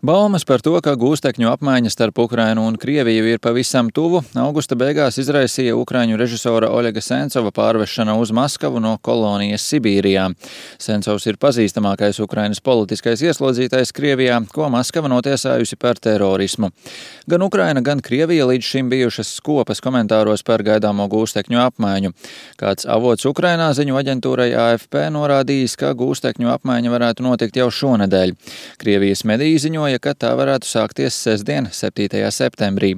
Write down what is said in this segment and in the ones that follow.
Baumas par to, ka gūstekņu apmaiņa starp Ukrainu un Krieviju ir pavisam tuvu, augusta beigās izraisīja ukraiņu režisora Oļega Sencova pārvešana uz Maskavu no kolonijas Sibīrijā. Sencovs ir pazīstamākais Ukrainas politiskais ieslodzītais Krievijā, ko Maskava notiesājusi par terorismu. Gan Ukraina, gan Krievija līdz šim bijušas skopas komentāros par gaidāmo gūstekņu apmaiņu. Kāds avots Ukrainā ziņu aģentūrai AFP norādījis, ka gūstekņu apmaiņa varētu notikt jau šonedēļ. Krievijas mediji ziņoja, ka tā varētu sākties sestdien, 7. septembrī.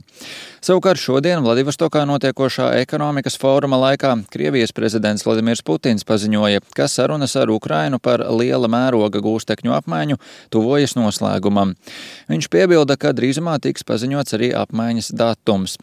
Savukārt šodien Vladivostokā notiekošā ekonomikas fóruma laikā Krievijas prezidents Vladimirs Putins paziņoja, ka sarunas ar Ukrainu par liela mēroga gūstekņu apmaiņu tuvojas noslēgumam. Viņš piebilda, ka drīzumā tiks paziņots arī apmaiņas datums.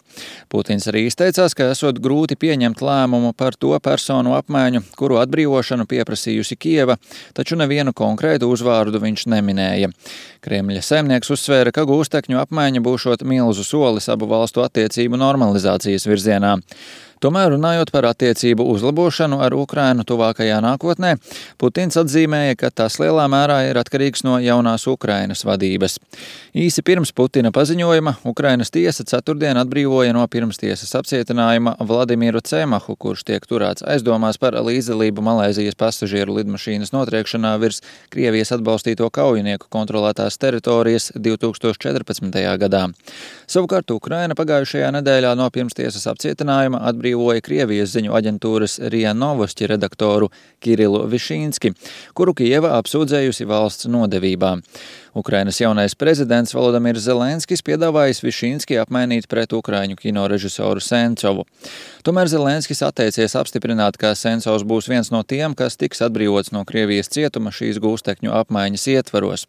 Putins arī izteicās, ka esot grūti pieņemt lēmumu par to personu apmaiņu, kuru atbrīvošanu pieprasījusi Kieva, taču nevienu konkrētu uzvārdu viņš neminēja. Kremļa saimnieks uzsvēra, ka gūstekņu apmaiņa būšot milzu solis abu valstu attiecību normalizācijas virzienā. Tomēr runājot par attiecību uzlabošanu ar Ukrainu tuvākajā nākotnē, Putins atzīmēja, ka tas lielā mērā ir atkarīgs no jaunās Ukrainas vadības. Īsi pirms Putina paziņojuma Ukrainas tiesa ceturtdien atbrīvoja no pirmstiesas apcietinājuma Vladimiru Cemahu, kurš tiek turēts aizdomās par līdzdalību Malaizijas pasažieru lidmašīnas notriekšanā virs Krievijas atbalstīto kaujinieku kontrolētās teritorijas 2014. gadā. Savukārt Ukraina pagājušajā nedēļā no pirmstiesas apcietinājuma atbrīvoja Krievijas ziņu aģentūras RIA Novosti redaktoru Kirilu Višīnski, kuru Kieva apsūdzējusi valsts nodevībā. Ukrainas jaunais prezidents Volodimirs Zelenskis piedāvājis Višīnski apmainīt pret ukraiņu kino režisoru Sencovu. Tomēr Zelenskis atteicies apstiprināt, ka Sencovs būs viens no tiem, kas tiks atbrīvots no Krievijas cietuma šīs gūstekņu apmaiņas ietvaros.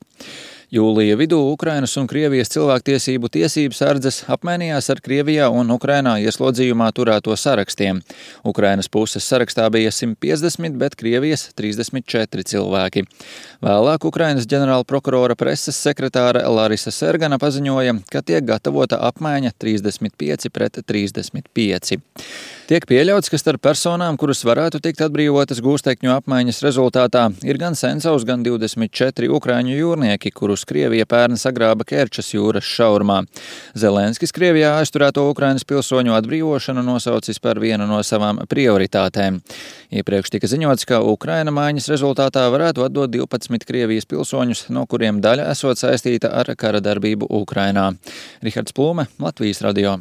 Jūlija vidū Ukrainas un Krievijas cilvēktiesību tiesības sardzes apmainījās ar Krievijā un Ukrainā ieslodzījumā turēto sarakstiem. Ukrainas puses sarakstā bija 150, bet Krievijas 34 cilvēki. Vēlāk Ukrainas ģenerāla prokurora preses sekretāra Larisa Sergana paziņoja, ka tiek gatavota apmaiņa 35 pret 35. Tiek pieļauts, ka starp personām, kuras varētu tikt atbrīvotas gūstekņu apmaiņas rezultātā, ir gan Sencovs, gan 24 ukraiņu jūrnieki, kurus Krievija pērn sagrāba Kerčas jūras šaurumā. Zelenskis Krievijā aizturēto Ukrainas pilsoņu atbrīvošanu nosaucis par vienu no savām prioritātēm. Iepriekš tika ziņots, ka Ukraina maiņas rezultātā varētu atdot 12 Krievijas pilsoņus, no kuriem daļa esot saistīta ar kara darbību Ukrainā. Rihards Plūme, Latvijas radio.